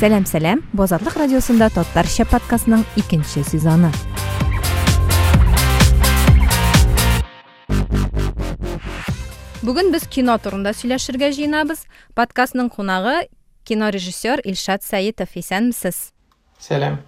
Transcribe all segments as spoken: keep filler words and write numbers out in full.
Сәлам, сәлам! Бу Азатлык радиосында Татарча подкастның икенче сезоны. Бүген без кино турында сөйләшергә җыенабыз. Подкастның кунагы кино режиссер Илшат Сәетов. Исәнмесез? Сәлам.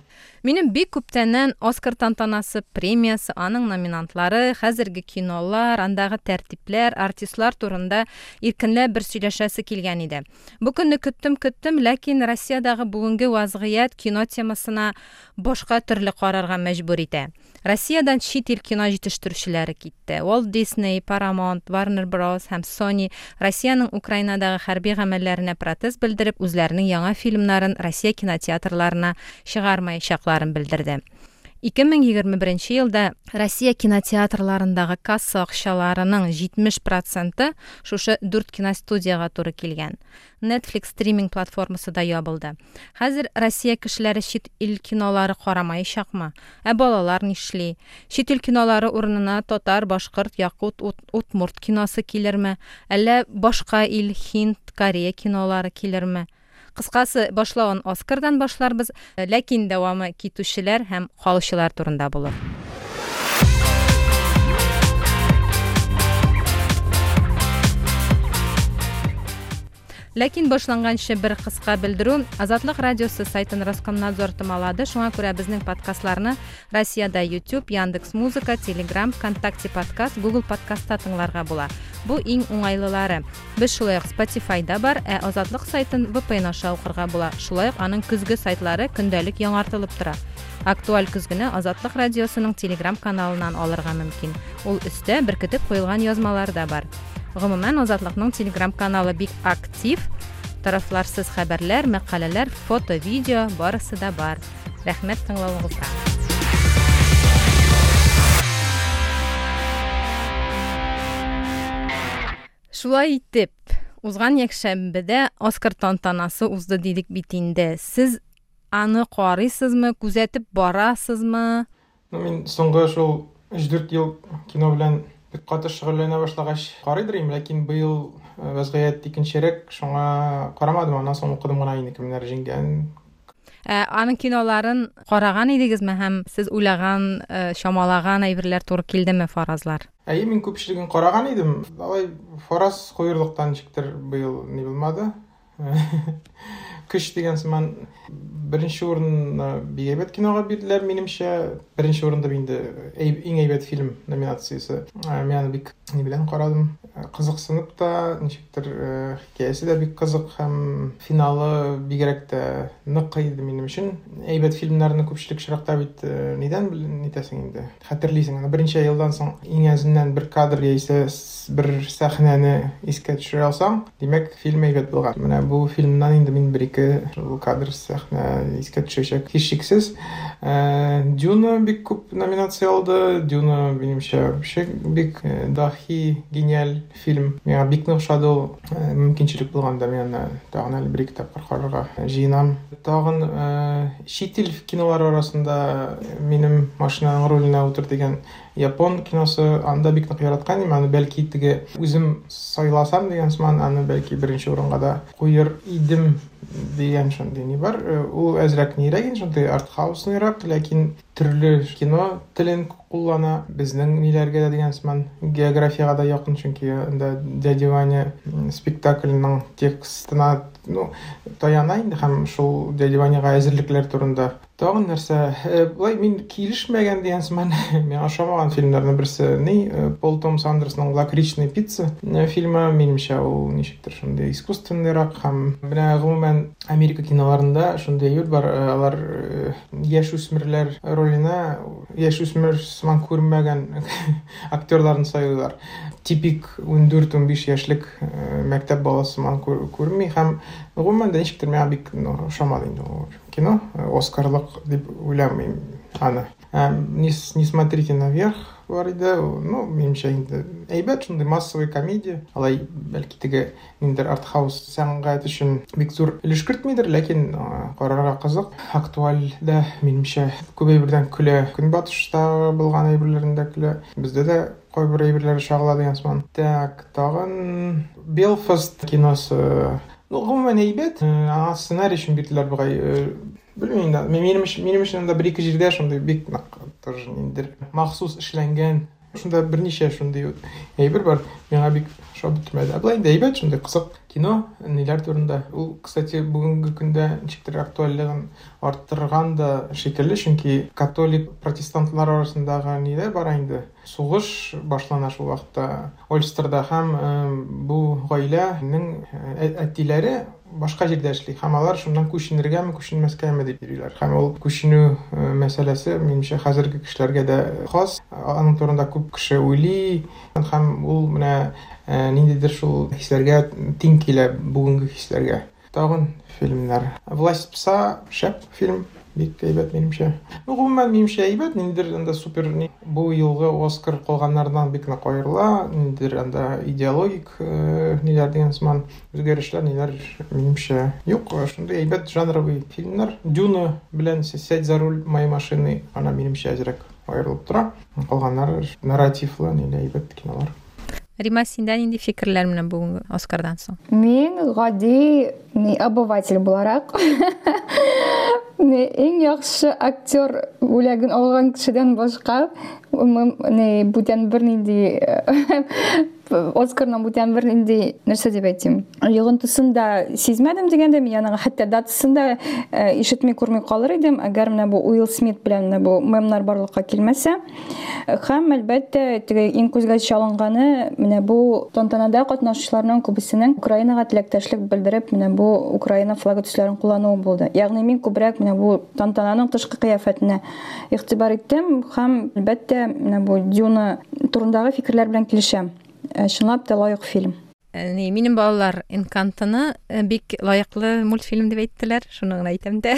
Минем бик күптәннән Оскар тантанасы, премиясы, аның номинантлары, хәзерге кинолар, андагы тәртипләр, артистлар турында иркенләп бер сөйләшәсе килгән иде. Бу көнне көттем-көттем, ләкин Россиядәге бүгенге вазгыять кино темасына башка төрле карарга мәҗбүр итә. Россиядән чит ил кино җитештерүчеләре китте. Walt Disney, Paramount, Warner Bros. Һәм Sony Россиянең Украинадагы хәрби гамәлләренә протест белдереп, үзләренең яңа фильмнарын Россия кинотеатрларына чыгармаячакларын белдерде. ике мең егерме беренче елда Россия кинотеатрларындагы касса акчаларының җитмеш проценты шушы дүрт киностудиягә туры килгән. Netflix стриминг платформасы да ябылды. Хәзер Россия кешеләре чит ил кинолары карамаячакмы? Ә балалар нишли? Чит ил кинолары урынына татар, башкорт, якут, ут-, удмурт киносы килерме? Әллә башка ил, һинд, Корея кинолары килерме? Кыскасы, башлавын Оскардан башларбыз, ләкин дәвамы китүчеләр һәм калучылар турында булыр. Ләкин башланганчы бер кыска белдерү. Азатлык радиосы сайтын Роскомнадзор томалады. Шуңа күрә безнең подкастларны Россиядә YouTube, Яндекс Музыка, Telegram, ВКонтакте подкаст, Google подкастта тыңларга була. Бу иң уңайлылары. Без шулай ук Spotify-да бар, ә Азатлык сайтын V P N аша укырга була. Шулай ук аның көзге сайтлары көндәлек яңартылып тора. Актуаль көзгене Азатлык радиосының Telegram каналыннан алырга мөмкин. Ул өстә беркетеп куелган язмалар да бар. Гомумән, Азатлыкның Telegram каналы бик актив. Тарафларсыз хәбәрләр, мәкаләләр, фото, видео барысы да бар. Рәхмәт тыңлавыгызга. Шулай итеп, узган якшәмбедә Оскар тантанасы узды дидек бит инде. Сез аны карыйсызмы, күзәтеп барасызмы? Ну, мин соңгы шул өч-дүрт ел кино белән бик каты шөгыльләнә башлагач карыйдыр идем, ләкин быел, э, вазгыять икенчерәк, шуңа карамадым, аннан соң укыдым гына инде кемнәр җиңгән. Ә, аның киноларын караган идегезме һәм сез уйлаган, э, чамалаган әйберләр туры килдеме фаразлар? Әйе, мин күпчелеген караган идем. Алай фараз куерлыктан ничектер быел ни булмады. Көч дигән сыман беренче урынны бик әйбәт кинога бирделәр, минемчә. Беренче урында инде әй-, иң әйбәт фильм номинациясе. Ә, мин аны бик ни белән карадым. Ә, кызыксынып та, ничектер, э, хикәясе дә бик кызык һәм финалы бигрәк тә нык иде минем өчен. Әйбәт фильмнарны күпчелек очракта бит, э, нидән бел-, нитәсең инде? Хәтерлисең. Аны берничә елдан соң иң әзеннән бер кадр яисә с-, бер сәхнәне искә төшерә алсаң, димәк, фильм әйбәт булган. Менә бу фильмнан инде мин бер ике шул кадр, сәхнә искә төшәчәк һичшиксез. Э, Дюна бик күп номинация алды. Дюна, минемчә, вообще бик, э, дахи, гениаль фильм. Миңа бик нык ошады ул. Э, мөмкинчелек булганда мин аны тагын әле бер ике тапкыр карарга җыенам. Тагын, э, чит ил кинолары арасында минем машинаның руленә утыр дигән япон киносы, анда бик нык яраткан идем. Аны бәлки теге үзем сайласам дигән сыман, аны бәлки беренче урынга да куер идем дигән шундый ни бар. Э, ул әзрәк нирәк инде, шундый артхаусныйрак, ләкин төрле кино телен куллана. Безнең ниләргә дә дигән сыман, географиягә дә якын, чөнки анда Дядя Ваня спектакльнең текстына, ну, таяна инде һәм шул Дядя Ваняга әзерлекләр турында. Тагын нәрсә, э, былай мин килешмәгән дигән сыман, миңа ошамаган фильмнарның берсе ни, э, Пол Томас Андерсның Лакричная пицца, э, фильмы, минемчә, ул ничектер шундый искусственныйрак һәм менә гомумән Америка киноларында шундый әйбер бар, э, алар, э, яшүсмерләр роленә яшүсмер сыман күрмәгән актерларны сайлыйлар. Типик ундүрт-унбиш яшьлек, э, мәктәп баласы сыман күр-, күрми һәм гомумән дә ничектер миңа бик, ну, ошамады инде ул кино, Оскарлык дип уйламыйм аны. Ә, не с-, не смотрите наверх бар иде, ну, минемчә инде әйбәт шундый массовый комедия. Алай бәлки теге ниндидер артхаус сәнгать өчен бик зур өлеш кертмидер, ләкин, а, карарга кызык. Актуаль дә, минемчә, күп әйбердән көлә. Көнбатышта булган әйберләрен дә көлә. Бездә дә кайбер әйберләр чагыла дигән сыман. Так, тагын Белфаст киносы. Ну, гомумән әйбәт. Аңа сценарий өчен бирделәр бугай. Белмим инде. Минем минем өчен анда бер-ике җирдә шундый бик нык тоже ниндидер махсус эшләнгән. Шунда берничә шундый әйбер бар. Миңа бик ошап бетмәде. Ә болай инде әйбәт, шундый кызык кино, ниләр турында. Ул, кстати, бүгенге көндә ничектер актуальлыгын арттырган да шикелле, чөнки католик протестантлар арасындагы ниләр бар инде. Сугыш башлана шул вакытта Ольстерда һәм бу гаиләнең әтиләре башка җирдә эшли һәм алар шуннан күченергәме, күченмәскәме дип йөриләр. Һәм ул күченү мәсьәләсе минемчә хәзерге кешеләргә дә хас. Аның турында күп кеше уйлый һәм ул менә ниндидер шул хисләргә тиң килә, бүгенге хисләргә. Тагын фильмнар. Власть пса шәп фильм, бик әйбәт минемчә. Ну, гомумән минемчә әйбәт, ниндидер анда супер бу елгы Оскар калганнардан бик нык аерыла, ниндидер анда идеологик ниләр дигән сыман үзгәрешләр ниләр минемчә юк. Шундый әйбәт жанровый фильмнар. Дюна белән Сядь за руль моей машины, ана минемчә әзрәк аерылып тора. Калганнары нарративлы, ниләр әйбәт кинолар. Рима, синдә нинди фикерләр менән бүгенге Оскардан соң? Мин гади обыватель буларак иң яхшы актер бүләген алган кешедән башка не бүтән бернинди Оскарның бүтән бернинди нәрсә дип әйтим, йогынтысын да сизмәдем дигәндә, мин аның хәтта датасын да ишетми күрми калыр идем, әгәр менә бу Уилл Смит белән менә бу мемнар барлыкка килмәсә. Һәм әлбәттә, теге иң күзгә чалынганы менә бу тантанада катнашучыларның күбесенең Украинага теләктәшлек белдереп, менә бу Украина флагы төсләрен куллануы булды. Ягъни мин күбрәк менә бу тантананың тышкы кыяфәтенә игътибар иттем һәм әлбәттә менә бу Дюна турындагы фикерләр белән килешәм. Чынлап та лаек фильм. Ни, минем балалар Энкантоны бик лаеклы мультфильм дип әйттеләр, шуны гына әйтәм дә.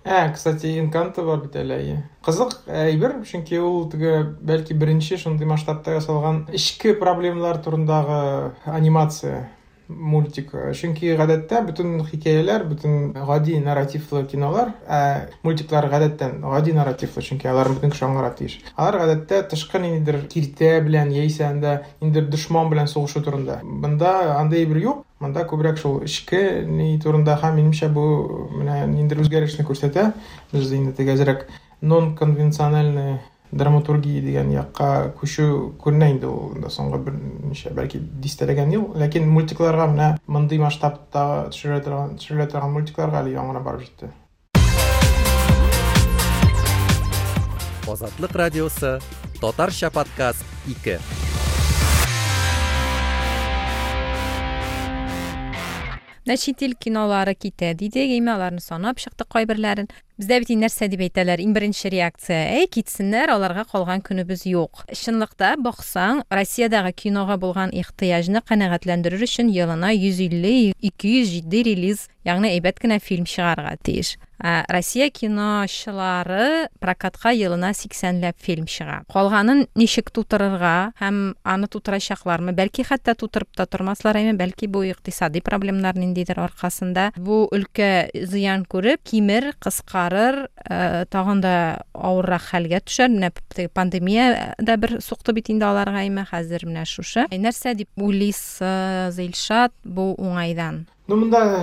Ә, кстати, Энканто бар бит әле. Кызык әйбер, чөнки ул теге бәлки беренче шундый масштабта ясалган эчке проблемалар турындагы анимация мультик. Чөнки гадәттә бөтен хикәяләр, бөтен гади нарративлы кинолар, ә мультиклар гадәттән гади нарративлы, чөнки алар бөтен кеше аңларга тиеш. Алар гадәттә тышкы ниндидер киртә белән яисә анда ниндидер дошман белән сугышу турында. Монда андый бер юк. Монда күбрәк шул эчке ни турында һәм минемчә бу менә ниндидер үзгәрешне күрсәтә. Без инде теге әзрәк нон-конвенциональный драматургия дигән якка күчү күренә инде ул инде соңгы берничә, бәлки дистәләгән ел. Ләкин мультикларга менә мондый масштабта төшерелә торган, төшерелә торган мультикларга әле яңа гына барып җитте. Азатлык радиосы, Татарча подкаст ике. Менә чит ил кинолары китә дидек, әмма аларны санап чыктык кайберләрен. Бездә бит нәрсә дип әйтәләр, иң беренче реакция: "Әй, китсеннәр, аларга калган көнебез юк." Чынлыкта баксаң, Россиядәге кинога булган ихтыяҗны канәгатьләндерер өчен елына йөз илле ике йөз җитди релиз, ягъни әйбәт кенә фильм чыгарырга тиеш. Ә Россия киночылары прокатка елына сиксәнләп фильм чыга. Калганын ничек тутырырга һәм аны тутырачаклармы? Бәлки хәтта тутырып та тормаслар, әмма бәлки бу икътисади проблемнар ниндидер аркасында бу өлкә зыян күреп, кимер, кыскарыр, тагын да авыррак хәлгә төшәр. Менә пандемия да бер сукты бит инде аларга, әмма хәзер менә шушы. Нәрсә дип уйлыйсыз, Илшат, бу уңайдан? Ну, монда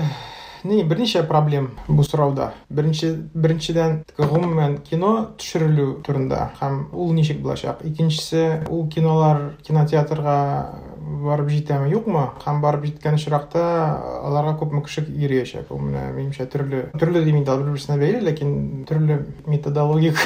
ни берничә проблем бу сорауда. Беренче, беренчедән, гомумән кино төшерелү турында һәм ул ничек булачак. Икенчесе, ул кинолар кинотеатрга барып җитәме, юкмы? Һәм барып җиткән очракта аларга күпме кеше йөриячәк. Ул менә минемчә төрле, төрле дим инде, бер-берсенә бәйле, ләкин төрле методологик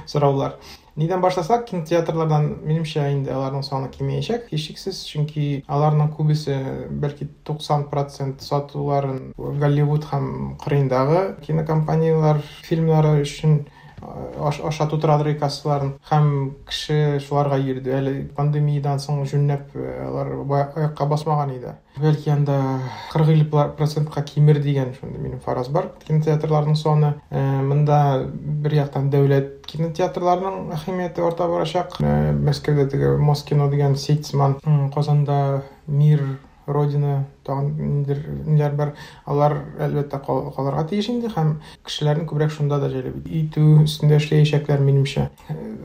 сораулар. Нидән башласак, кинотеатрлардан минемчә инде аларның саны кимеячәк, һичшиксез, чөнки аларның күбесе, бәлки туксан процент сатуларын Голливуд һәм кырыендагы кинокомпанияләр фильмнары өчен аша тутырадыр кассаларын, һәм кеше шуларга йөрде. Әле пандемиядан соң җүнләп алар аякка басмаган иде. Бәлки анда кырык илле процентка кимер дигән шундый минем фараз бар. Кинотеатрларның саны монда бер яктан дәүләт кинотеатрларының әһәмияте арта барачак. Мәскәүдә теге Москино дигән сеть сыман, Казанда Мир, Родина тагын ниндидер ниләр бар, алар әлбәттә калырга тиеш инде һәм кешеләрне күбрәк шунда да җәлеп итү өстендә эшләячәкләр минемчә.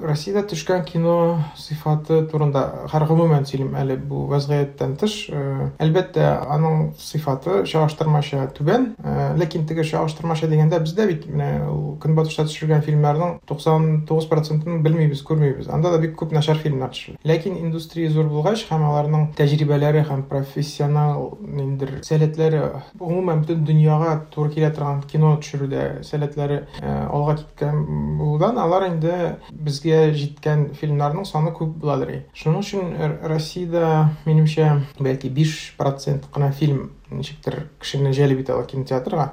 Россиядә төшкән кино сыйфаты турында һәр гомумән сөйлим әле бу вазгыятьтән тыш, әлбәттә, аның сыйфаты чагыштырмача түбән, ләкин теге чагыштырмача дигәндә бездә бит менә ул көнбатышта төшергән фильмнарның туксан тугыз процентын белмибез, күрмибез. Анда да бик күп начар фильмнар төшерелә. Ләкин индустрия зур булгач һәм аларның тәҗрибәләре һәм профессионал ниндидер сәләтләре, гомумән бөтен дөньяга туры килә торган кино төшерүдә сәләтләре алга киткән булудан алар инде безгә җиткән фильмнарның саны күп буладыр. Шуның өчен Россиядә, минемчә, бәлки биш процент кына фильм ничектер кешене җәлеп итә ала кинотеатрга.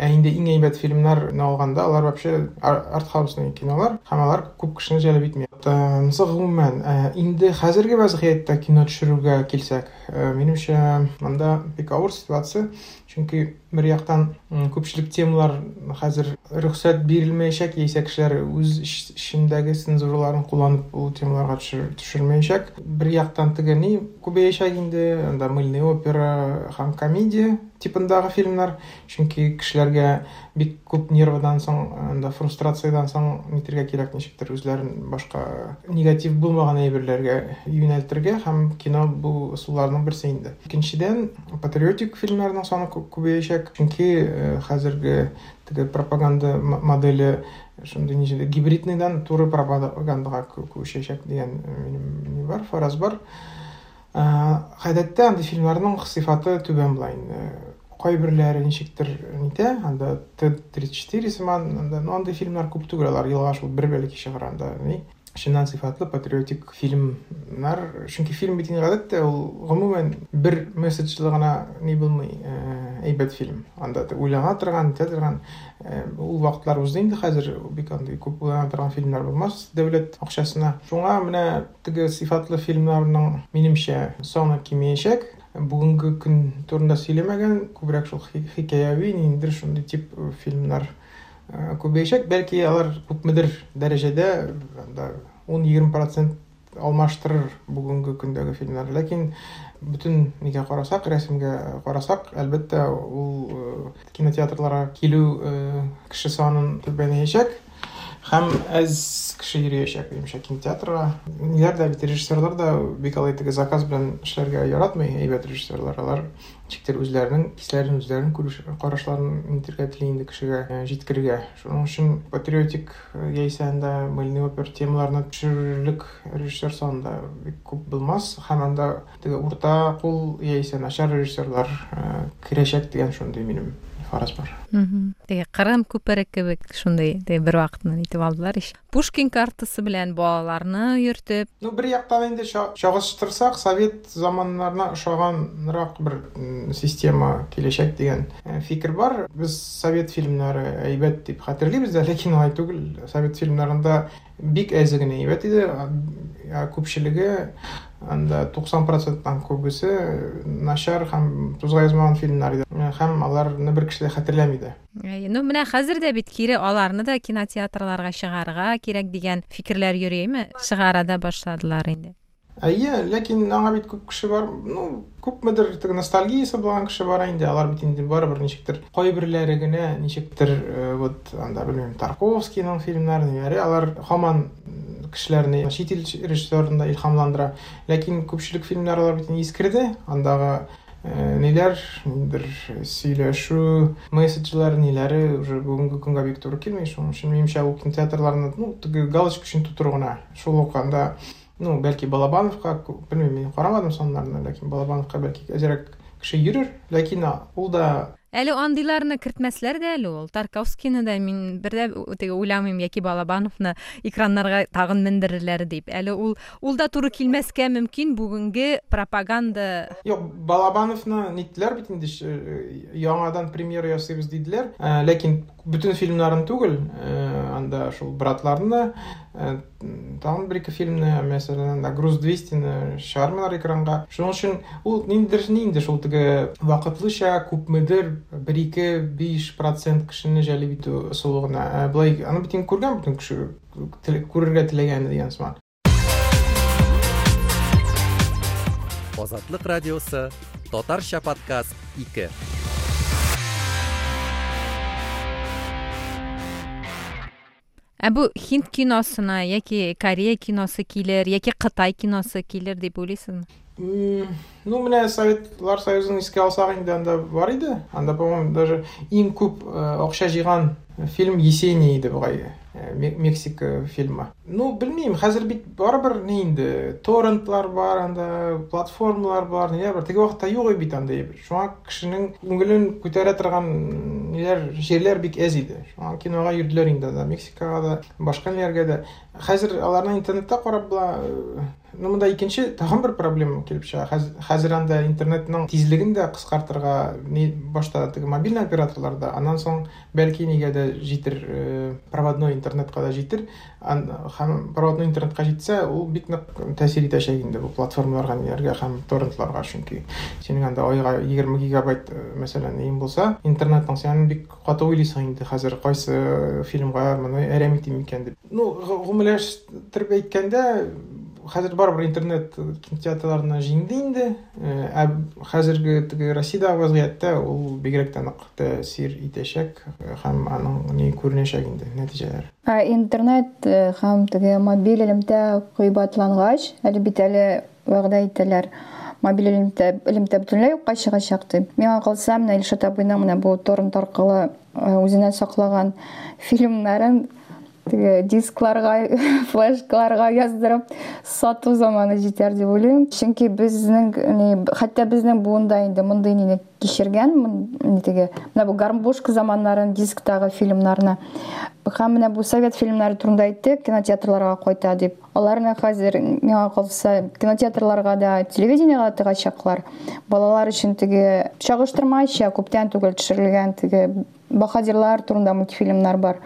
Ә инде иң әйбәт фильмнарны алганда, алар вообще артхаусный кинолар һәм алар күп кешене җәлеп итми. Монысы гомумән, инде хәзерге вазгыятьтә кино төшерүгә килсәк, минемчә, монда бик авыр ситуация, чөнки бер яктан күпчелек темалар хәзер рөхсәт бирелмәячәк, яисә кешеләр үз эчендәге цензураларын кулланып ул темаларга төшермәячәк. Бер яктан теге ни күбәячәк инде, анда мыльный опера һәм комедия типындагы фильмнар, чөнки кешеләргә бик күп нервыдан соң, анда фрустрациядан соң нитергә кирәк, ничектер үзләрен башка негатив булмаган әйберләргә юнәлтергә, һәм кино бу ысулларның берсе инде. Икенчедән, патриотик фильмнарның саны күбәячәк, чөнки хәзерге теге пропаганда моделе шундый ничек гибридныйдан туры пропагандага күчәчәк дигән минем ни бар, фараз бар. Гадәттә андый фильмнарның сыйфаты түбән була инде. Кайберләре ничектер нитә, анда Т тридцать четыре сыман, анда, ну, андый фильмнар күп түгел, алар елга шул бер бәлки чыгар анда, ни. Чыннан сыйфатлы патриотик фильмнар, чөнки фильм бит инде гадәттә ул гомумән бер месседжлы гына ни булмый, әйбәт фильм. Анда уйлана торган, нитә торган, ул вакытлар узды инде, хәзер бик андый күп уйлана торган фильмнар булмас дәүләт акчасына. Шуңа менә теге сыйфатлы фильмнарның минемчә саны кимеячәк. Бүгенге көн турында сөйләмәгән, күбрәк шул хикәяви, ниндидер шундый тип фильмнар күбәячәк. Бәлки алар күпмедер дәрәҗәдә анда ун-егерме процент алмаштырыр бүгенге көндәге фильмнар. Ләкин бөтен нигә карасак, рәсемгә карасак, әлбәттә, ул кинотеатрларга килү кеше санын түбәнәячәк һәм әз кеше йөриячәк, минемчә, кинотеатрга. Ниләр дә бит, режиссерлар да бик алай теге заказ белән эшләргә яратмый, әйбәт режиссерлар. Алар ничектер үзләренең хисләрен, үзләренең күреш карашларын нитергә тели инде кешегә җиткерергә. Шуның өчен патриотик яисә анда мыльный опера темаларына төшерерлек режиссер саны да бик күп булмас һәм анда теге урта кул яисә начар режиссерлар керәчәк дигән шундый минем фараз бар. Теге Кырым күпере кебек шундый теге бер вакытны итеп алдылар ич. Пушкин картасы белән балаларны йөртеп. Ну, бер яктан инде чагыштырсак, совет заманнарына ошаганрак бер система киләчәк дигән фикер бар. Без совет фильмнары әйбәт дип хәтерлибез дә, ләкин алай түгел. Совет фильмнарында бик әзе генә әйбәт иде, күпчелеге анда туксан проценттан күбесе начар һәм тузга язмаган фильмнар иде. Һәм аларны бер кеше дә хәтерләми дә. Ну, менә хәзер дә бит кире аларны да кинотеатрларга чыгарырга кирәк дигән фикерләр йөриме? Чыгара да башладылар инде. Әйе, ләкин аңа бит күп кеше бар, ну, күпмедер теге ностальгиясе булган кеше бар инде, алар бит инде барыбер ничектер кайберләре генә ничектер вот анда белмим, Тарковскийның фильмнары, ниләре, алар һаман кешеләрне чит ил режиссерларын да илһамландыра. Ләкин күпчелек фильмнар алар бит инде искерде, андагы ниләр, ниндидер сөйләшү, месседжлар, ниләре уже бүгенге көнгә бик туры килми. Шуның өчен минемчә ул кинотеатрларны, ну, теге галочка өчен тутыру гына. Шул ук анда, ну, бәлки Балабановка, белмим, мин карамадым саннарны, ләкин Балабановка бәлки әзрәк кеше йөрер, ләкин ул да Әле андыйларны кертмәсләр дә әле ул. Тарковскийны да мин бер дә теге уйламыйм, яки Балабановны экраннарга тагын мендерерләр дип. Әле ул ул да туры килмәскә мөмкин бүгенге пропаганда. Юк, Балабановны ниттеләр бит инде, яңадан премьера ясыйбыз диделәр. Ләкин бөтен фильмнарын түгел, анда шул братларны, тагын бер ике фильмны, мәсәлән, анда Груз двести-ны чыгармыйлар экранга. Шуның өчен ул ниндидер инде шул теге вакытлыча күпмедер бер ике биш процент кешене җәлеп итү ысулы гына. Былай аны бит инде күргән бөтен кеше күрергә теләгән дигән сыман. Азатлык радиосы, Татарча подкаст ике. Ә бу һинд киносына яки Корея киносы килер, яки Кытай киносы килер дип уйлыйсызмы? Ну, менә Советлар Союзын искә алсак инде, анда бар иде. Анда, по-моему, даже иң күп акча җыйган фильм Есения иде бугай, Мексика фильмы. Ну, белмим, хәзер бит барыбер ни инде, торрентлар бар, анда платформалар бар, ниләр бар. Теге вакытта юк бит анда әйбер. Шуңа кешенең күңелен күтәрә торган ниләр, җирләр бик әз иде. Шуңа кинога йөрделәр инде анда, Мексикага да, башка ниләргә дә. Хәзер аларны интернетта карап була. Ну, монда икенче тагын бер проблема килеп чыга. Хәзер анда интернетның тизлеген дә кыскартырга ни башта теге мобильный операторларда, аннан соң бәлки нигә дә җитер, проводной интернетка да җитер. Һәм проводной интернетка җитсә, ул бик нык тәэсир итәчәк инде бу платформаларга, ниләргә һәм торрентларга, чөнки синең анда айга егерме гигабайт, мәсәлән, иң булса, интернетның син бик каты уйлыйсың инде хәзер кайсы фильмга моны әрәм итим икән дип. Ну, гомумиләштереп әйткәндә, хәзер барыбер интернет кинотеатрларына җиңде инде. Ә хәзерге теге Россиядәге вазгыятьтә ул бигрәк тә нык тәэсир итәчәк һәм аның ни күренәчәк инде нәтиҗәләр. Ә интернет һәм теге мобиль элемтә кыйбатлангач, әле бит әле вәгъдә итәләр, мобиль элемтә элемтә бөтенләй юкка чыгачак дип. Миңа калса, менә Илшат абыйның менә бу торрент аркылы үзенә саклаган фильмнарын теге дискларга, флешкаларга яздырып сату заманы җитәр дип уйлыйм. Чөнки безнең ни, хәтта безнең буында инде мондый нине кичергән, ни теге менә бу гармбушка заманнарын, дисктагы фильмнарны. Һәм менә бу совет фильмнары турында әйттек, кинотеатрларга кайта дип. Аларны хәзер миңа калса кинотеатрларга да, телевидениега тыгачаклар. Балалар өчен теге чагыштырмача күптән түгел төшерелгән теге баһадирлар турында мультфильмнар бар.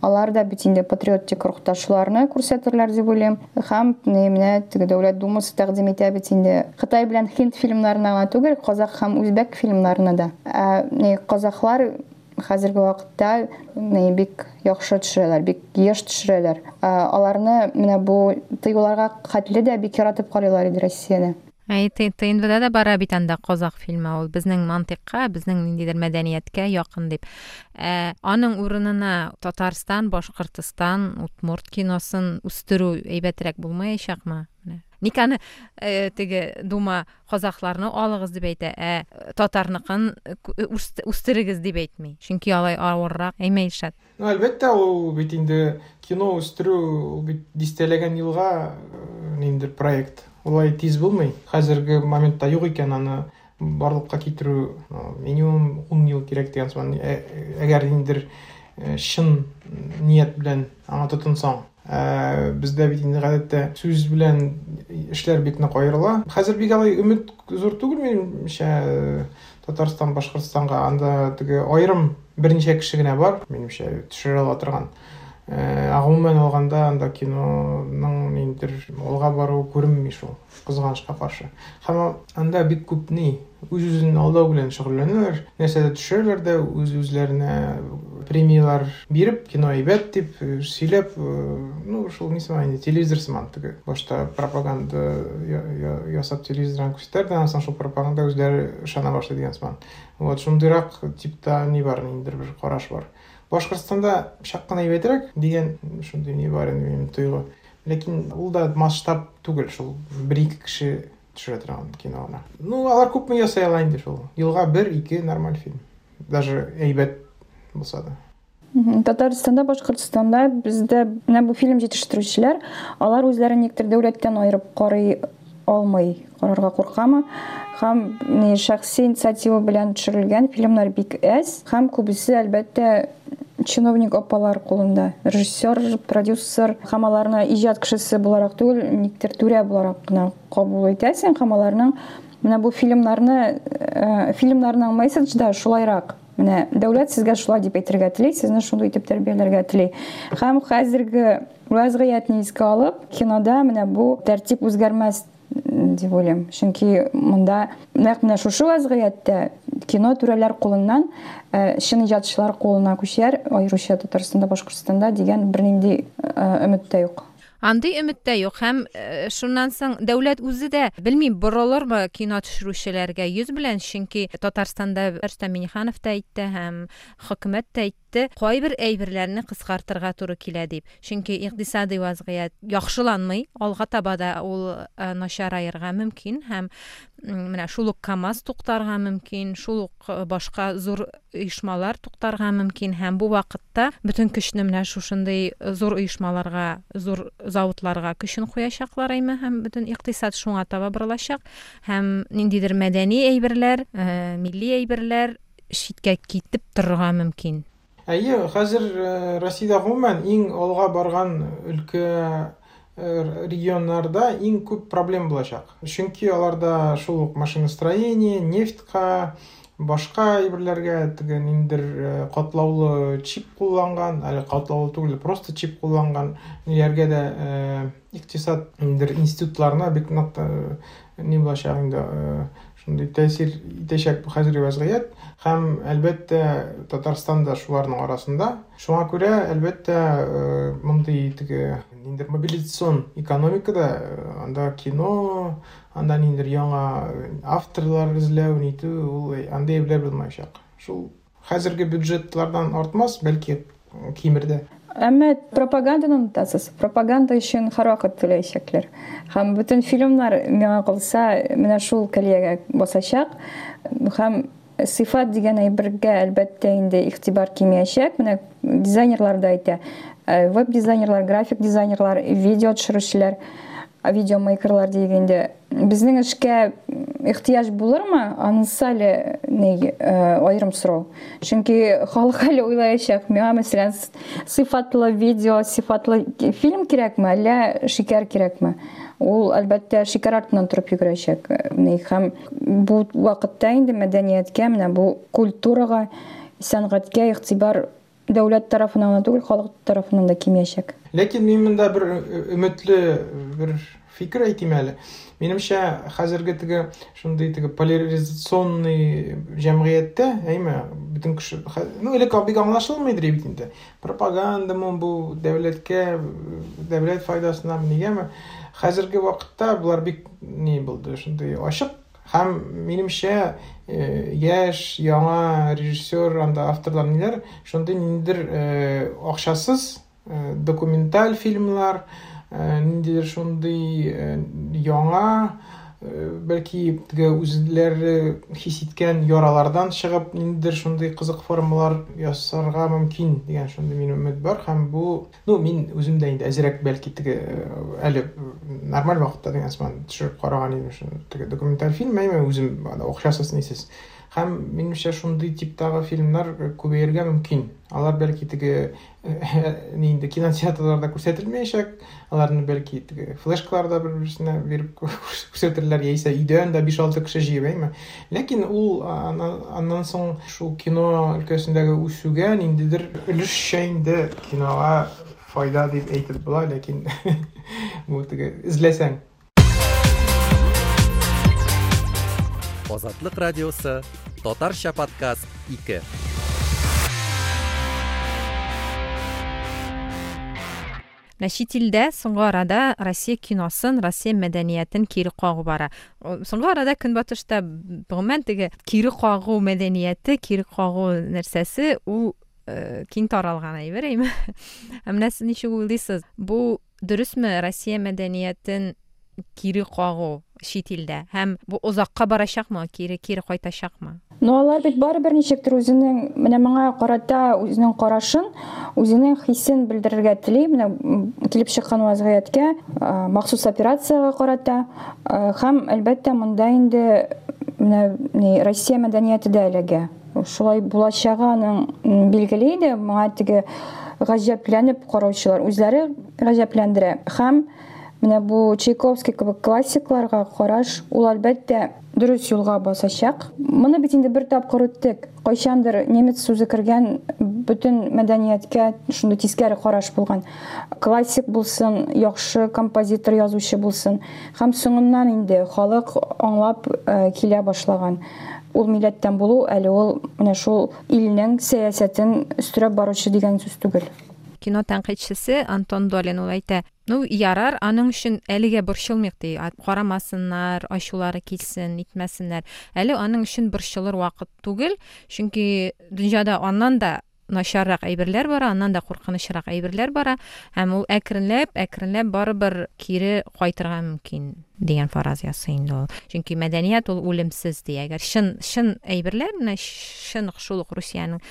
Алар да бит инде патриотик рухта шуларны күрсәтерләр дип уйлыйм. Һәм менә теге Дәүләт Думасы тәкъдим итә бит инде Кытай белән һинд фильмнарына гына түгел, казах һәм үзбәк фильмнарына да. Ә ни казахлар хәзерге вакытта ни бик яхшы төшерәләр, бик еш төшерәләр. Аларны менә бу тыюларга хәтле дә бик яратып карыйлар иде Россияне. Әй, Т Н Вда да бара бит анда казах фильмы, ул безнең мантыйкка, безнең ниндидер мәдәнияткә якын дип. Ә, аның урынына Татарстан, Башкортстан, Удмурт киносын үстерү әйбәтрәк булмаячакмы? Менә. Ник аны э, теге Дума казахларны алыгыз дип әйтә, ә татарныкын үстерегез дип әйтми. Чөнки алай авыррак. Әйме, Илшат? Ну, әлбәттә, ул бит инде кино үстерү, ул бит дистәләгән елга ниндидер проект. Улай тиз булмый. Хәзерге моментта юк икән, аны барлыкка китерү минимум ун ел кирәк дигән сыман. Әгәр ниндидер чын ният белән аңа тотынсаң. Бездә бит инде гадәттә сүз белән эшләр бик нык аерыла. Хәзер бик алай өмет зур түгел минемчә Татарстан, Башкортстанга. Анда теге аерым берничә кеше генә бар, минемчә, төшерә ала торган. Ә гомумән алганда анда киноның ниндидер алга баруы күренми шул, кызганычка каршы. Һәм анда бик күп ни үз-үзен алдау белән шөгыльләнәләр. Нәрсәдә төшерәләр дә үз-үзләренә премияләр биреп, кино әйбәт дип сөйләп, ну, шул ни сыман инде, телевизор сыман теге. Башта пропаганда ясап телевизордан күрсәтәләр, аннан соң шул пропаганда үзләре ышана башлый дигән сыман. Вот шундыйрак типта ни бар, ниндидер бер караш бар. Башкортстанда чак кына әйбәтрәк дигән шундый ни бар инде минем тойгы. Ләкин ул да масштаб түгел, шул бер-ике кеше төшерә торган кино гына. Ну, алар күпме ясай ала инде шул. Елга бер-ике нормаль фильм. Даже әйбәт булса да. Татарстанда, Башкортстанда бездә менә бу фильм җитештерүчеләр, алар үзләрен никтер дәүләттән аерып карый алмый, карарга куркамы? Һәм ни шәхси инициатива белән төшерелгән фильмнар бик әз, һәм күбесе әлбәттә чиновник апалар кулында. Режиссер, продюсер һәм аларны иҗат кешесе буларак түгел, никтер түрә буларак кына кабул итәсең, һәм аларның менә бу фильмнарны, фильмнарның месседж да шулайрак. Менә дәүләт сезгә шулай дип әйтергә тели, сезне шундый итеп тәрбияләргә тели. Һәм хәзерге вазгыятьне искә алып, кинода менә бу тәртип үзгәрмәс дип уйлыйм. Чөнки монда нәкъ менә шушы вазгыятьтә кино түрәләр кулыннан чын иҗатчылар кулына күчәр, аеруча Татарстанда, Башкортстанда дигән бернинди өмет тә юк. Андый өмет тә юк һәм шуннан соң дәүләт үзе дә белмим борылырмы кино төшерүчеләргә йөз белән, чөнки Татарстанда Рөстәм Миңнеханов та әйтте һәм хөкүмәт тә әйтте, кайбер әйберләрне кыскартырга туры килә дип. Чөнки икътисади вазгыять яхшыланмый, алга таба да ул начараерга мөмкин һәм менә шул ук КАМАЗ туктарга мөмкин, шул ук башка зур оешмалар туктарга мөмкин һәм бу вакытта бөтен көчне менә шушындый зур оешмаларга, зур заводларга көчен куячаклар әйме һәм бөтен икътисад шуңа таба борылачак һәм ниндидер мәдәни әйберләр, милли әйберләр читкә китеп торырга мөмкин. Әйе, хәзер Россиядә гомумән иң алга барган өлкә регионнарда иң күп проблем булачак. Чөнки аларда шул ук машиностроение, нефтька, башка әйберләргә теге ниндидер катлаулы чип кулланган, әле катлаулы түгел, просто чип кулланган ниләргә дә икътисад ниндидер институтларына бик нык ни булачак инде, шундый тәэсир итәчәк бу хәзерге вазгыять һәм әлбәттә Татарстан да шуларның арасында. Шуңа күрә әлбәттә мондый теге ниндидер мобилизацион экономикада анда кино, анда ниндидер яңа авторлар эзләү, нитү, ул андый әйберләр булмаячак. Шул хәзерге бюджетлардан артмас, бәлки кимер дә. Әмма пропаганданы онытасыз. Пропаганда өчен һәрвакыт түләячәкләр. Һәм бөтен фильмнар миңа калса менә шул көлиягә басачак. Һәм сыйфат дигән әйбергә әлбәттә инде игътибар кимиячәк. Менә дизайнерлар да әйтә. Веб-дизайнерлар, график дизайнерлар, видео төшерүчеләр, видеомейкерлар дигәндә безнең эшкә ихтыяҗ булырмы? Анысы әле ни аерым сорау. Чөнки халык әле уйлаячак. Миңа, мәсәлән, сыйфатлы видео, сыйфатлы фильм кирәкме, әллә шикәр кирәкме? Ул әлбәттә шикәр артыннан торып йөгерәчәк. Һәм бу вакытта инде мәдәнияткә, менә бу культурага, сәнгатькә игътибар дәүләт тарафыннан гына түгел, халык тарафыннан да кимиячәк. Ләкин мин монда бер өметле бер фикер әйтим әле. Минемчә, хәзерге теге шундый теге поляризационный җәмгыятьтә, әйме, бөтен кеше, ну, элек бик аңлашылмыйдыр бит инде. Пропагандамы бу дәүләткә, дәүләт файдасына нигәме? Хәзерге вакытта булар бик ни булды, шундый ачык. Һәм минемчә, яшь, яңа режиссер, анда авторлар ниләр, шундый ниндидер акчасыз документаль фильмлар, ниндидер шундый яңа, бәлки теге үзләре хис иткән яралардан чыгып, ниндидер шундый кызык формалар ясарга мөмкин дигән шундый минем өмет бар. Һәм бу, ну, мин үзем дә инде әзрәк бәлки теге әле нормаль вакытта дигән сыман төшереп караган идем шуны теге документаль фильм, әйме үзем акчасыз нисез. Һәм минемчә шундый типтагы фильмнар күбәергә мөмкин. Алар бәлки теге инде кинотеатрларда күрсәтелмәячәк, аларны бәлки теге флешкаларда бер-берсенә биреп күрсәтерләр, яисә өйдән дә биш-алты кеше җыеп, әйме. Ләкин ул аннан соң шул кино өлкәсендәге үсүгә ниндидер өлешчә инде кинога файда дип әйтеп була, ләкин бу теге эзләсәң. Азатлык радиосы, Татарча подкаст ике. Менә чит илдә соңгы арада Россия киносын, Россия мәдәниятен кире кагу бара. Соңгы арада Көнбатышта гомумән теге кире кагу мәдәнияте, кире кагу нәрсәсе ул киң таралган әйбер, әйме? Ә менә сез ничек уйлыйсыз? Бу дөресме Россия мәдәниятен кире кагу чит илдә? Һәм бу озакка барачакмы, кире кире кайтачакмы? Но алар бит барыбер ничектер үзенең менә моңа карата үзенең карашын, үзенең хисен белдерергә тели, менә килеп чыккан вазгыятькә, махсус операцияга карата һәм әлбәттә монда инде менә Россия мәдәнияте дә эләгә. Шулай булачагы аның билгеле иде, моңа теге гаҗәпләнеп караучылар үзләре гаҗәпләндерә. Һәм менә бу Чайковский кебек классикларга караш, ул әлбәттә дөрес юлга басачак. Моны бит инде бер тапкыр үттек. Кайчандыр немец сүзе кергән бөтен мәдәнияткә шундый тискәре караш булган. Классик булсын, яхшы композитор, язучы булсын. Һәм соңыннан инде халык аңлап килә башлаган. Ул милләттән булу әле ул менә шул илнең сәясәтен өстерәп баручы дигән сүз түгел. Кино тәнкыйтьчесе Антон Долин ул әйтә, Ну, ярар, аның өчен әлегә борчылмыйк ди. Карамасыннар, ачулары килсен, итмәсеннәр. Әле аның өчен борчылыр вакыт түгел, чөнки дөньяда аннан да начаррак әйберләр бара, аннан да куркынычрак әйберләр бара, һәм ул әкренләп, әкренләп барыбер кире кайтырга мөмкин дигән фараз ясый инде ул. Чөнки мәдәният ул үлемсез ди. Әгәр чын, чын әйберләр, менә чын шул ук Русиянең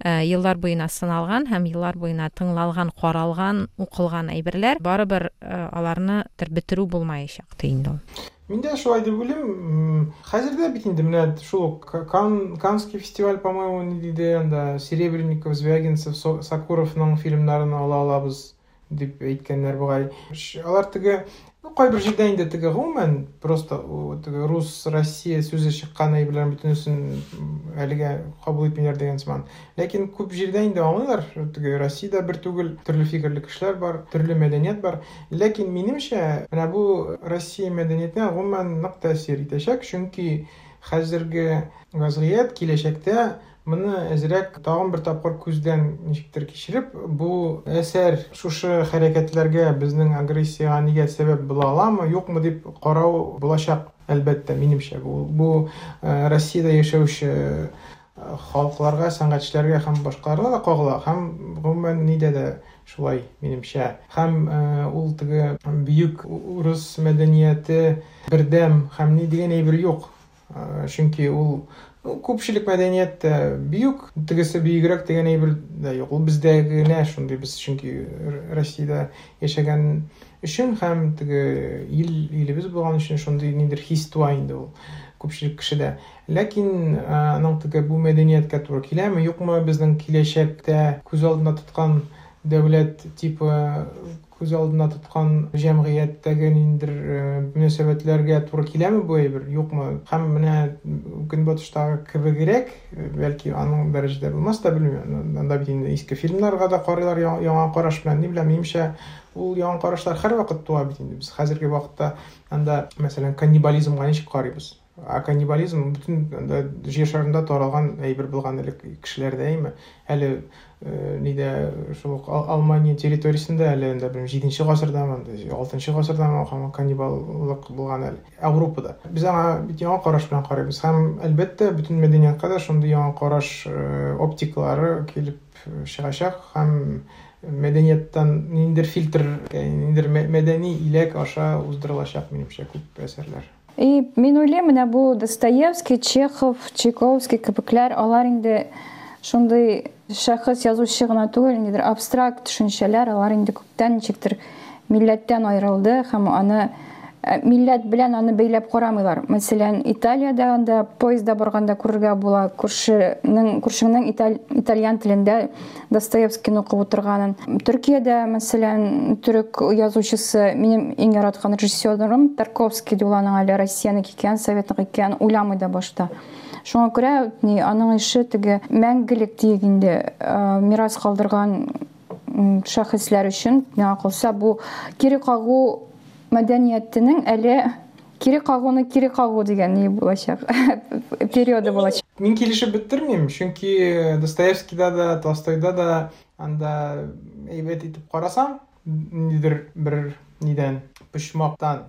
еллар буена сыналган һәм еллар буена тыңлалган, каралган, укылган әйберләр, барыбер аларны бетерү булмаячак ди инде ул. Мин дә шулай дип уйлыйм. Хәзер дә бит инде менә шул ук Кан, Каннский фестиваль, по-моему, ни диде, анда Серебренников, Звягинцев, Сокуровның фильмнарын ала алабыз дип әйткәннәр бугай. Алар теге, ну, кайбер җирдә инде теге гомумән просто теге рус, Россия сүзе чыккан әйберләрнең бөтенесен әлегә кабул итмиләр дигән сыман. Ләкин күп җирдә инде аңлыйлар, теге Россиядә бер түгел, төрле фикерле кешеләр бар, төрле мәдәният бар. Ләкин минемчә, менә бу Россия мәдәниятенә гомумән нык тәэсир итәчәк, чөнки хәзерге вазгыять киләчәктә моны әзрәк тагын бер тапкыр күздән ничектер кичереп, бу әсәр шушы хәрәкәтләргә, безнең агрессиягә нигә сәбәп була аламы, юкмы дип карау булачак, әлбәттә, минемчә. Бу, бу Россиядә яшәүче халыкларга, сәнгатьчеләргә һәм башкаларга да кагыла, һәм гомумән нидә дә шулай, минемчә. Һәм ул теге бөек урыс мәдәнияте бердәм һәм ни дигән әйбер юк. Чөнки ул күпчелек мәдәният тә бөек, тегесе бөегрәк дигән әйбер дә юк. Ул бездә генә шундый, без чөнки Россиядә яшәгән өчен һәм теге ил, илебез булган өчен шундый ниндидер хис туа инде ул күпчелек кешедә. Ләкин аның теге бу мәдәнияткә туры киләме, юкмы, безнең киләчәктә күз алдында тоткан дәүләт типы, күз алдында тоткан җәмгыятьтәге ниндидер мөнәсәбәтләргә туры киләме бу әйбер, юкмы? Һәм менә Көнбатыштагы кебегрәк, бәлки аның дәрәҗәдә булмас та, белмим. Анда бит инде иске фильмнарга да карыйлар яңа караш белән, ни беләм, минемчә, ул яңа карашлар һәрвакыт туа бит инде. Без хәзерге вакытта анда, мәсәлән, каннибализмга ничек карыйбыз? А каннибализм бөтен анда җир шарында таралган әйбер булган элек кешеләрдә, әйме? Әле нидә шул ук Алмания территориясендә әле анда белмим, җиденче гасырдамы, алтынчы гасырдамы каннибаллык булган әле Европада. Без аңа бит яңа караш белән карыйбыз һәм әлбәттә бөтен мәдәниятка да шундый яңа караш оптикалары килеп чыгачак һәм мәдәнияттән ниндидер фильтр, ниндидер мәдәни иләк аша уздырылачак минемчә күп әсәрләр. И мин уйлыйм, менә бу Достоевский, Чехов, Чайковский кебекләр, алар инде шундый шәхес язучы гына түгел, ниндидер абстракт төшенчәләр, алар инде күптән ничектер милләттән аерылды һәм аны милләт белән аны бәйләп карамыйлар. Мәсәлән, Италиядә анда поездда барганда күрергә була, күршенең, күршеңнең италь, итальян телендә Достоевскийны укып утырганын. Төркиядә, мәсәлән, төрек язучысы, минем иң яраткан режиссерым Тарковский ди, ул аның әле Россиянеке икән, Советныкы икән уйламый да башта. Шуңа күрә ни, аның ише теге мәңгелек диек инде, мирас калдырган шәхесләр өчен, миңа калса, бу кире кагу мәдәниятенең әле кире кагуны кире кагу дигән ни булачак, периоды булачак. Мин килешеп бетермим, чөнки Достоевскийда да, Толстойда да анда әйбәт итеп карасаң, ниндидер бер нидән, почмактан,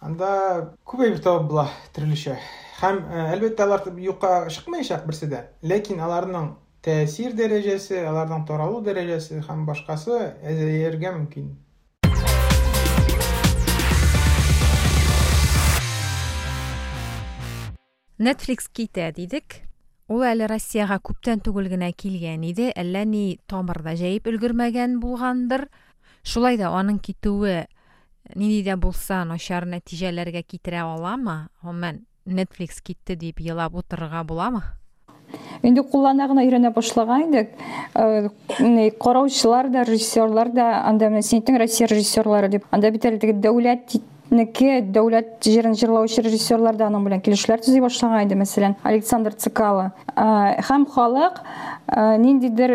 анда күп әйбер табып була төрлечә. Һәм әлбәттә алар юкка чыкмаячак берсе дә, ләкин аларның тәэсир дәрәҗәсе, аларның таралу дәрәҗәсе һәм башкасы әзәергә мөмкин. Netflix китә дидек. Ул әле Россиягә күптән түгел генә килгән иде, әллә ни тамырда җәеп өлгермәгән булгандыр. Шулай да аның китүе нинди дә булса начар нәтиҗәләргә китерә аламы? Гомумән, Netflix китте дип елап утырырга буламы? Инде куллана гына өйрәнә башлаган идек. Караучылар да, режиссерлар да, анда менә син әйттең Россия режиссерлары дип. Анда бит әле теге дәүләт неке, дәүләт җырын җырлаучы режиссерлар да аның белән килешүләр төзи башлаган иде, мәсәлән, Александр Цикало. Һәм халык ниндидер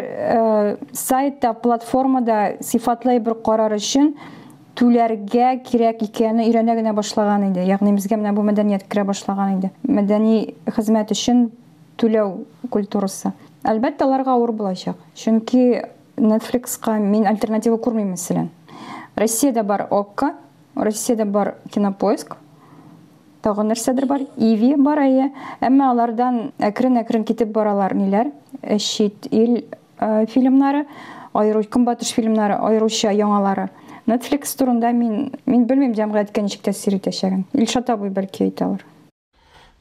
сайтта, платформада сыйфатлы бер карар өчен түләргә кирәк икәнен өйрәнә генә башлаган иде. Ягъни безгә менә бу мәдәният керә башлаган иде. Мәдәни хезмәт өчен түләү культурасы. Әлбәттә, аларга авыр булачак. Чөнки Netflix-ка мин альтернатива күрмим, мәсәлән. Россиядә бар Окко, Россиядә бар Кинопоиск, тагын нәрсәдер бар, Иви бар, әйе. Әмма алардан әкрен-әкрен китеп баралар ниләр, чит ил фильмнары, аеру көнбатыш фильмнары, аеруча яңалары. Netflix турында мин мин белмим җәмгыятькә ничек тәэсир итәчәген. Илшат абый бәлки әйтә алыр.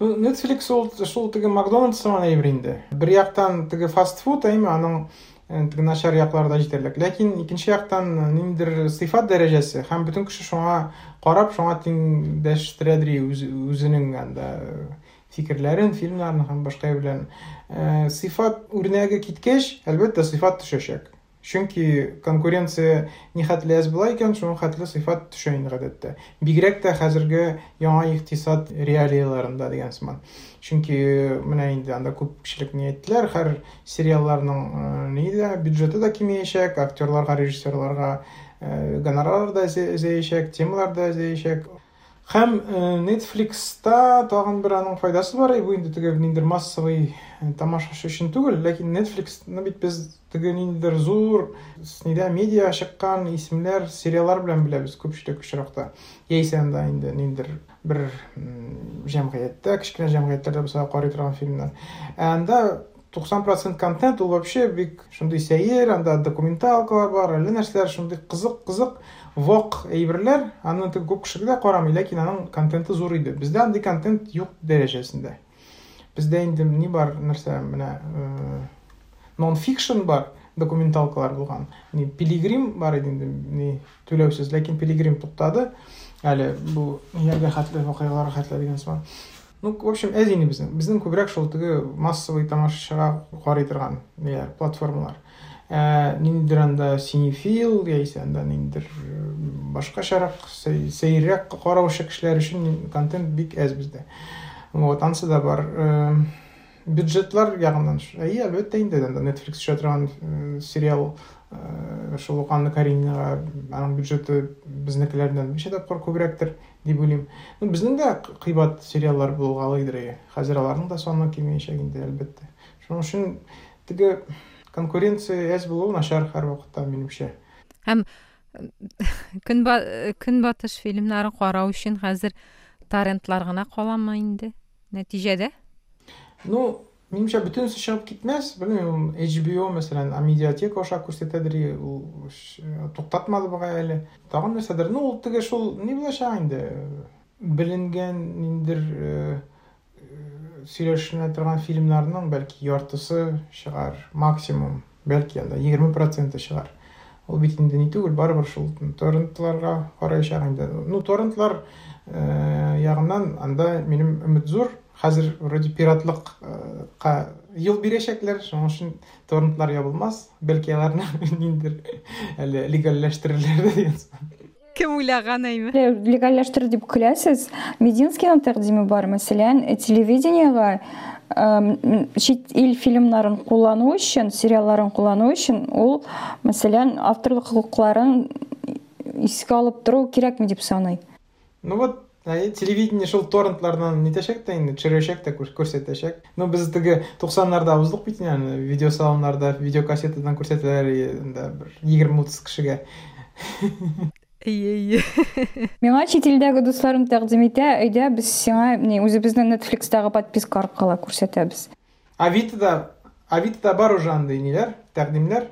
Ну, Netflix ул шул теге Макдональдс сыман әйбер инде. Бер яктан теге фастфуд, әйме, аның теге начар яклары да җитәрлек. Ләкин икенче яктан ниндидер сыйфат дәрәҗәсе һәм бөтен кеше шуңа карап, шуңа тиңдәштерәдер үз, үзенең анда фикерләрен, фильмнарын һәм башка белән. Сыйфат үрнәге киткәч, әлбәттә, сыйфат төшәчәк. Чөнки конкуренция нихәтле әз була икән, шуның хәтле сыйфат төшә инде гадәттә. Бигрәк тә хәзерге яңа икътисад реалияларында дигән сыман. Чөнки менә инде анда күпчелек ни әйттеләр, һәр сериалларның ни дә бюджеты да кимеячәк, актерларга, режиссерларга гонорарлар да әзәячәк, темалар да әзәячәк. Һәм Netflix-та тагын бер аның файдасы бар, бу инде теге ниндидер массовый тамашачы өчен түгел, ләкин Netflix-ны бит без теге ниндидер зур нидә медиа чыккан исемнәр, сериаллар белән беләбез күпчелек очракта. Яисә анда инде ниндидер бер җәмгыятьтә, кечкенә җәмгыятьләрдә булса карый торган фильмнар. Ә анда туксан процент контент ул вообще бик шундый сәер, анда документалкалар бар, әллә нәрсәләр, шундый кызык-кызык вак әйберләр, аны теге күп кеше дә карамый, ләкин аның контенты зур иде. Бездә андый контент юк дәрәҗәсендә. Бездә инде ни бар, нәрсә, менә нон-фикшн бар, документалкалар булган. Ни Пилигрим бар иде инде, ни түләүсез, ләкин Пилигрим туктады. Әле бу нигә хәтле вакыйгалар хәтле дигән сыман. Ну, в общем, әз инде безнең. Безнең күбрәк шул теге массовый тамашачыга карый торган ниләр, платформалар. Ә, ниндидер анда синефил, яисә анда ниндидер башкачарак, сәйрәк караучы кешеләр өчен контент бик әз бездә. Вот, ансы да бар. Бюджетлар ягыннан, әйе, әлбәттә инде анда Netflix төшә торган сериал шул ук Анна Каренинаға аның бюджеты безнекеләрдән ничә тапкыр күбрәктер дип уйлыйм. Ну, безнең дә кыйбат сериаллар булгалыйдыр, әйе. Хәзер аларның да саны кимеячәк инде, әлбәттә. Шуның өчен теге конкуренция әз булуы начар һәрвакытта, минемчә. Һәм көнбатыш фильмнарын карау өчен хәзер торрентлар гына каламы инде нәтиҗәдә? Ну, минемчә, бөтенесе чыгып китмәс. Белмим, H B O, мәсәлән, Амедиатека аша күрсәтәдер, ул туктатмады бугай әле. Тагын нәрсәдер. Ну, ул теге шул ни булачак инде? Беленгән ниндидер сөйләшенә торган фильмнарның бәлки яртысы чыгар, максимум, бәлки анда егерме проценты чыгар. Ул бит инде ни түгел, барыбер шул торрентларга караячак инде. Ну, торрентлар ягыннан анда минем өмет зур. Хәзер вроде пиратлыкка юл бирәчәкләр, шуның өчен торрентлар ябылмас, бәлки аларны ниндидер әле легальләштерерләр дигән сыман. Кем уйлаган, әйме? Легальләштерер дип көләсез. Мединскийның тәкъдиме бар, мәсәлән, телевидениега чит ил фильмнарын куллану өчен, сериалларын куллану өчен ул, мәсәлән, авторлык хокукларын искә алып тору кирәкме дип саный. Ну вот, телевидение шул торрентлардан нитәчәк тә инде, төшерәчәк тә, күрсәтәчәк. Ну, без теге туксаннарда уздык бит инде, видеосалоннарда, видеокассетадан күрсәтәләр инде бер егерме утыз кешегә. Әйе, әйе. Миңа чит илдәге дусларым тәкъдим итә, әйдә без сиңа ни үзебезнең Netflix-тагы подписка аркылы күрсәтәбез. Авитода, Авитода бар уже андый ниләр, тәкъдимнәр.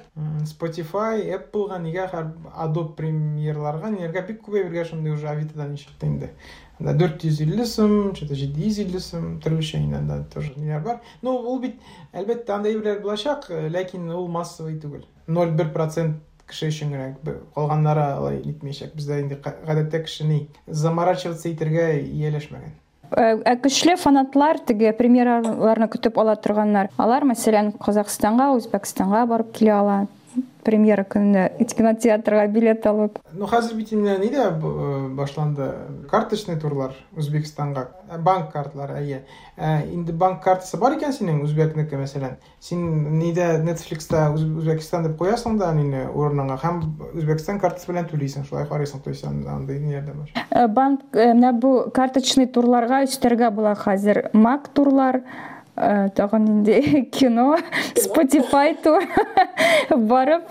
Spotify, Apple-га, нигә, Adobe Premiere-ларга, ниләргә бик күп әйбергә шундый уже Авитодан чыкты инде. Анда дүрт йөз илле сум, что-то җиде йөз илле сум, төрлечә инде анда тоже ниләр бар. Ну, ул бит, әлбәттә, андый әйберләр булачак, ләкин ул массовый түгел. ноль бер процент кеше өчен генә, калганнары алай нитмәячәк. Бездә инде гадәттә кеше ни заморачиваться итәргә ияләшмәгән. Ә көчле фанатлар теге премьераларны көтеп ала торганнар. Алар, мәсәлән, Казахстанга, Үзбәкстанга барып килә ала. Премьера көнендә кинотеатрга билет алып. Ну, хәзер бит инде ни дә башланды? Карточный турлар Үзбәкстанга, банк картлары, әйе. Инде банк картасы бар икән синең, үзбәкнеке, мәсәлән. Син нидә Netflix-та Үзбәкстан дип куясың да нине урыныңа һәм Үзбәкстан картасы белән түлисең, шулай карыйсың, то есть андый ниләр дә бар. Банк менә бу карточный турларга өстәргә була хәзер. Мак турлар, тагын инде кино, Spotify тур барып,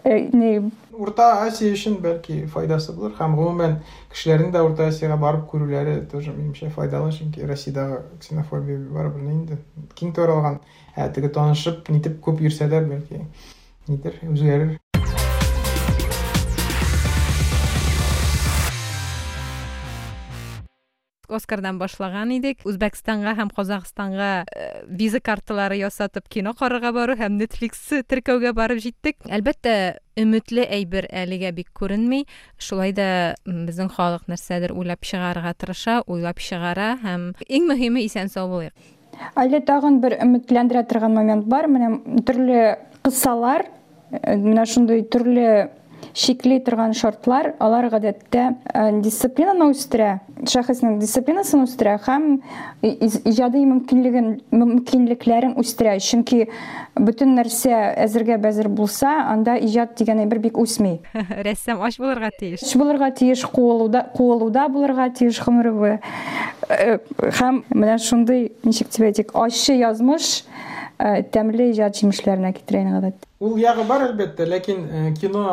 не Урта Азия өчен бәлки файдасы булыр һәм гомумән кешеләрнең дә Урта Азиягә барып күрүләре тоже минемчә файдалы, чөнки Россиядәге ксенофобия барыбер инде киң таралган. Ә теге танышып, нитеп күп йөрсәләр, бәлки нидер үзгәрер. Оскардан башлаган идек. Үзбәкстанга һәм Казахстанга виза карталары ясатып кино карарга бару һәм Netflix теркәүгә барып җиттек. Әлбәттә, өметле әйбер әлегә бик күренми. Шулай да безнең халык нәрсәдер уйлап чыгарырга тырыша, уйлап чыгара һәм иң мөһиме исән сау булыйк. Әле тагын бер өметләндерә торган момент бар. Менә төрле кысалар, менә шундый төрле шикли торган шартлар, алар гадәттә дисциплинаны үстерә, шәхеснең дисциплинасын үстерә һәм иҗади мөмкинлеген, мөмкинлекләрен үстерә. Чөнки бөтен нәрсә әзергә бәзер булса, анда иҗат дигән әйбер бик үсми. Рәссам ач булырга тиеш. Ач булырга тиеш, куылуда, куылуда булырга тиеш гомере буе. Һәм менә шундый, ничек дип әйтик, ачы язмыш тәмле иҗат җимешләренә китерә инде гадәттә. Ул ягы бар әлбәттә, ләкин кино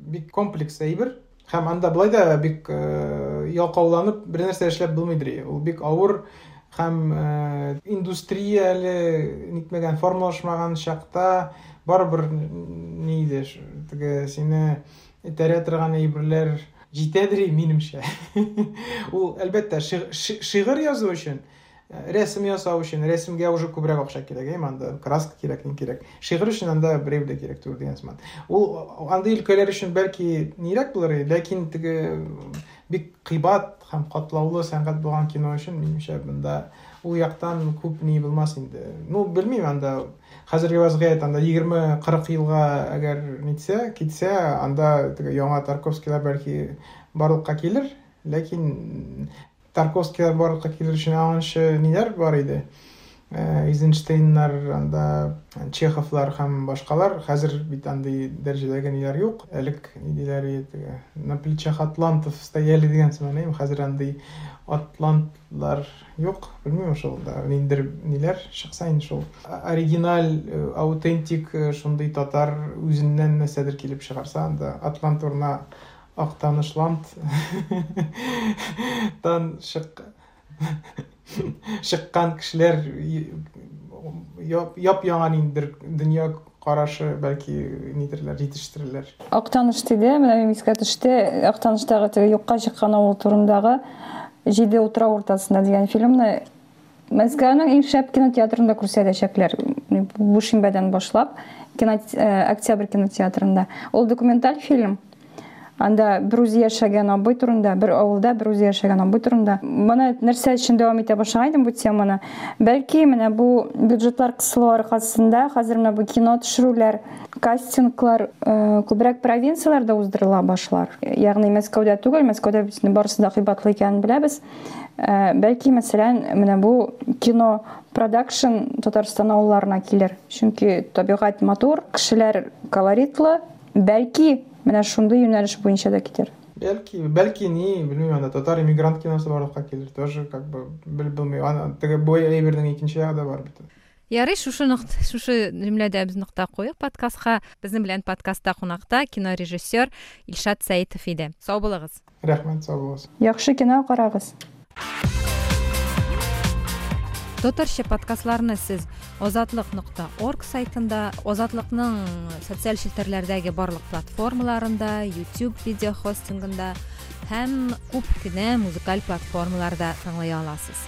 бик комплекс әйбер һәм анда былай да бик ялкауланып бер нәрсә эшләп булмыйдыр. Ул бик авыр һәм индустрия әле нитмәгән, формалашмаган чакта барыбер ни иде, теге сине этәрә торган әйберләр җитәдер минемчә. Ул әлбәттә шигырь язу өчен, рәсем ясау өчен, рәсемгә уже күбрәк акча кирәк, әйме, анда краска кирәк, ни кирәк. Шигырь өчен анда берәү дә кирәк түгел дигән сыман. Ул андый өлкәләр өчен бәлки нирәк булыр, ләкин теге бик кыйбат һәм катлаулы сәнгать булган кино өчен минемчә монда ул яктан күп ни булмас инде. Ну, белмим, анда хәзерге вазгыять анда егерме кырык елга әгәр нитсә, китсә, анда теге яңа Тарковскийлар бәлки барлыкка килер, ләкин Тарковскийлар барлыкка килер өчен аңынчы ниләр бар иде? Эйзенштейннар, анда Чеховлар һәм башкалар. Хәзер бит андый дәрәҗәдәге ниләр юк. Элек ни диләр иде? На плечах атлантов стояли дигән сыман, әйме? Хәзер андый атлантлар юк. Белмим шул да ниндер ниләр чыкса инде шул. Оригиналь, аутентик шундый татар үзеннән нәрсәдер килеп чыгарса, анда атлант урынына Актанышланд тан чык чыккан кешеләр яп-яңа ниндидер дөнья карашы бәлки нидерләр җитештерерләр. Актаныш диде, менә минем искә төште, Актаныштагы теге юкка чыккан авыл турындагы Җиде утрау уртасында дигән фильмны Мәскәүнең иң шәп кинотеатрында күрсәтәчәкләр. Бу шимбәдән башлап, кино, Октябрь кинотеатрында. Ул документаль фильм. Анда бер үзе яшәгән абый турында, бер авылда бер үзе яшәгән абый турында. Моны нәрсә өчен дәвам итә башлаган идем бу теманы? Бәлки менә бу бюджетлар кысылу аркасында хәзер менә бу кино төшерүләр, кастинглар күбрәк провинцияләрдә уздырыла башлар. Ягъни Мәскәүдә түгел, Мәскәүдә бит барысы да кыйбатлы икәнен беләбез. Бәлки, мәсәлән, менә бу кино продакшн Татарстан авылларына килер. Чөнки табигать матур, кешеләр колоритлы. Бәлки менә шундый юнәлеш буенча да китер. Бәлки, бәлки ни, белмим, анда татар иммигрант киносы барлыкка килер, тоже как бы белеп булмый. Аны теге бу әйбернең икенче ягы да бар бит. Ярый, шушы нокта, шушы җөмләдә без нокта куйык подкастка. Безнең белән подкастта кунакта кинорежиссер Илшат Сәитов иде. Сау булыгыз. Рәхмәт, сау булыгыз. Яхшы кино карагыз. Татарча подкастларны сез озатлык нокта орг сайтында, Озатлыкның социаль челтәрләрдәге барлык платформаларында, YouTube видео хостингында һәм күп кенә музыкаль платформаларда тыңлый аласыз.